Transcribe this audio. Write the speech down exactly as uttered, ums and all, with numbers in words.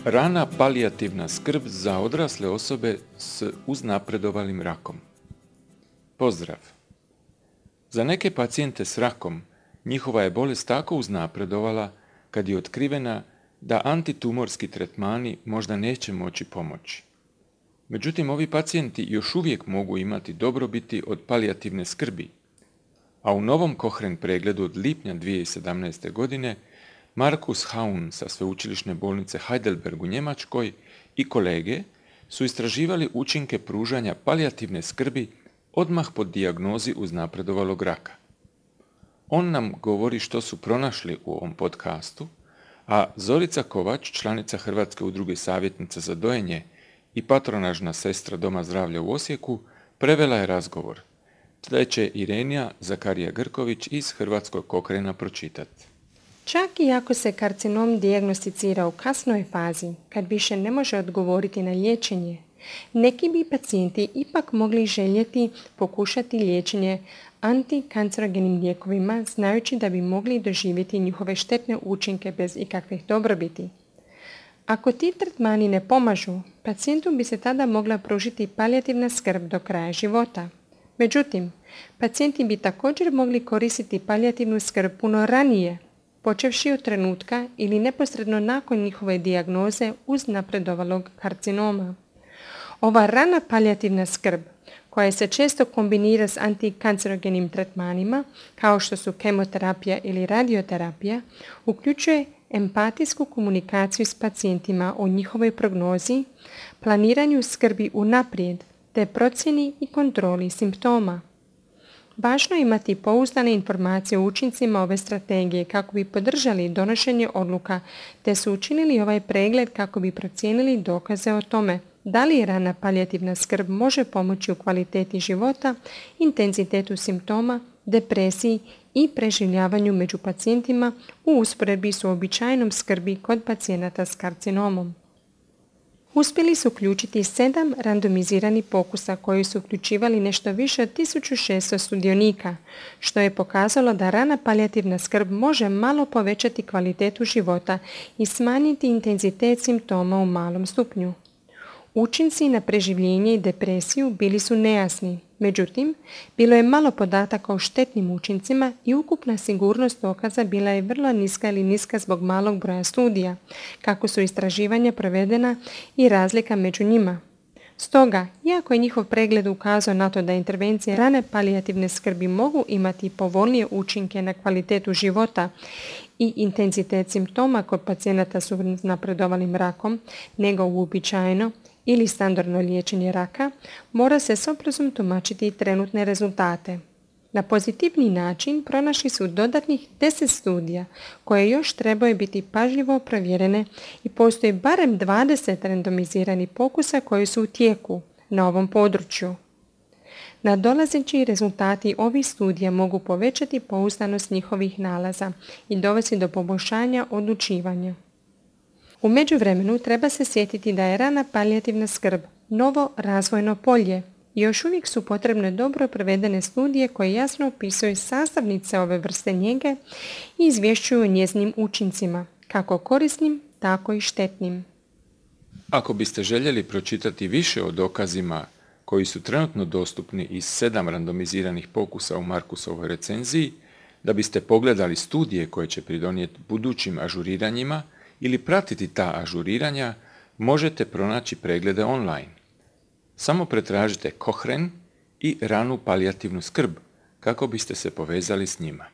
Rana palijativna skrb za odrasle osobe s uznapredovalim rakom. Pozdrav! Za neke pacijente s rakom njihova je bolest tako uznapredovala kad je otkrivena da antitumorski tretmani možda neće moći pomoći. Međutim, ovi pacijenti još uvijek mogu imati dobrobiti od palijativne skrbi, a u novom Cochrane pregledu od lipnja dvije tisuće sedamnaeste. godine Markus Haun sa sveučilišne bolnice Heidelberg u Njemačkoj i kolege su istraživali učinke pružanja palijativne skrbi odmah po dijagnozi uznapredovalog raka. On nam govori što su pronašli u ovom podcastu, a Zorica Kovač, članica Hrvatske udruge savjetnica za dojenje i patronažna sestra Doma zdravlja u Osijeku, prevela je razgovor, te će Irenija Zakarija Grković iz Hrvatskog Cochrana pročitati. Čak i ako se karcinom dijagnosticira u kasnoj fazi, kad više ne može odgovoriti na liječenje, neki bi pacijenti ipak mogli željeti pokušati liječenje antikancerogenim lijekovima, znajući da bi mogli doživjeti njihove štetne učinke bez ikakvih dobrobiti. Ako ti tretmani ne pomažu, pacijentu bi se tada mogla pružiti palijativna skrb do kraja života. Međutim, pacijenti bi također mogli koristiti palijativnu skrb puno ranije, počevši od trenutka ili neposredno nakon njihove dijagnoze uznapredovalog karcinoma. Ova rana palijativna skrb, koja se često kombinira s antikancerogenim tretmanima, kao što su kemoterapija ili radioterapija, uključuje empatijsku komunikaciju s pacijentima o njihovoj prognozi, planiranju skrbi unaprijed, te procjeni i kontroli simptoma. Važno je imati pouzdane informacije o učincima ove strategije kako bi podržali donošenje odluka, te su učinili ovaj pregled kako bi procijenili dokaze o tome da li rana palijativna skrb može pomoći u kvaliteti života, intenzitetu simptoma, depresiji i preživljavanju među pacijentima u usporedbi s uobičajenom skrbi kod pacijenata s karcinomom. Uspjeli su uključiti sedam randomiziranih pokusa koji su uključivali nešto više od tisuću šesto sudionika, što je pokazalo da rana palijativna skrb može malo povećati kvalitetu života i smanjiti intenzitet simptoma u malom stupnju. Učinci na preživljenje i depresiju bili su nejasni, međutim, bilo je malo podataka o štetnim učincima i ukupna sigurnost dokaza bila je vrlo niska ili niska zbog malog broja studija, kako su istraživanja provedena i razlika među njima. Stoga, iako je njihov pregled ukazao na to da intervencije rane palijativne skrbi mogu imati povoljnije učinke na kvalitetu života i intenzitet simptoma kod pacijenata s uznapredovalim rakom nego uobičajeno ili standardno liječenje raka, mora se s oprezom tumačiti trenutne rezultate. Na pozitivni način pronašli su dodatnih deset studija koje još trebaju biti pažljivo provjerene i postoji barem dvadeset randomiziranih pokusa koji su u tijeku na ovom području. Nadolazeći rezultati ovih studija mogu povećati pouzdanost njihovih nalaza i dovesti do poboljšanja odlučivanja. U međuvremenu treba se sjetiti da je rana palijativna skrb novo razvojno polje i još uvijek su potrebne dobro provedene studije koje jasno opisuju sastavnice ove vrste njege i izvješćuju o njezinim učincima, kako korisnim, tako i štetnim. Ako biste željeli pročitati više o dokazima koji su trenutno dostupni iz sedam randomiziranih pokusa u Markusovoj recenziji, da biste pogledali studije koje će pridonijeti budućim ažuriranjima ili pratiti ta ažuriranja, možete pronaći preglede online. Samo pretražite Cochrane i ranu palijativnu skrb kako biste se povezali s njima.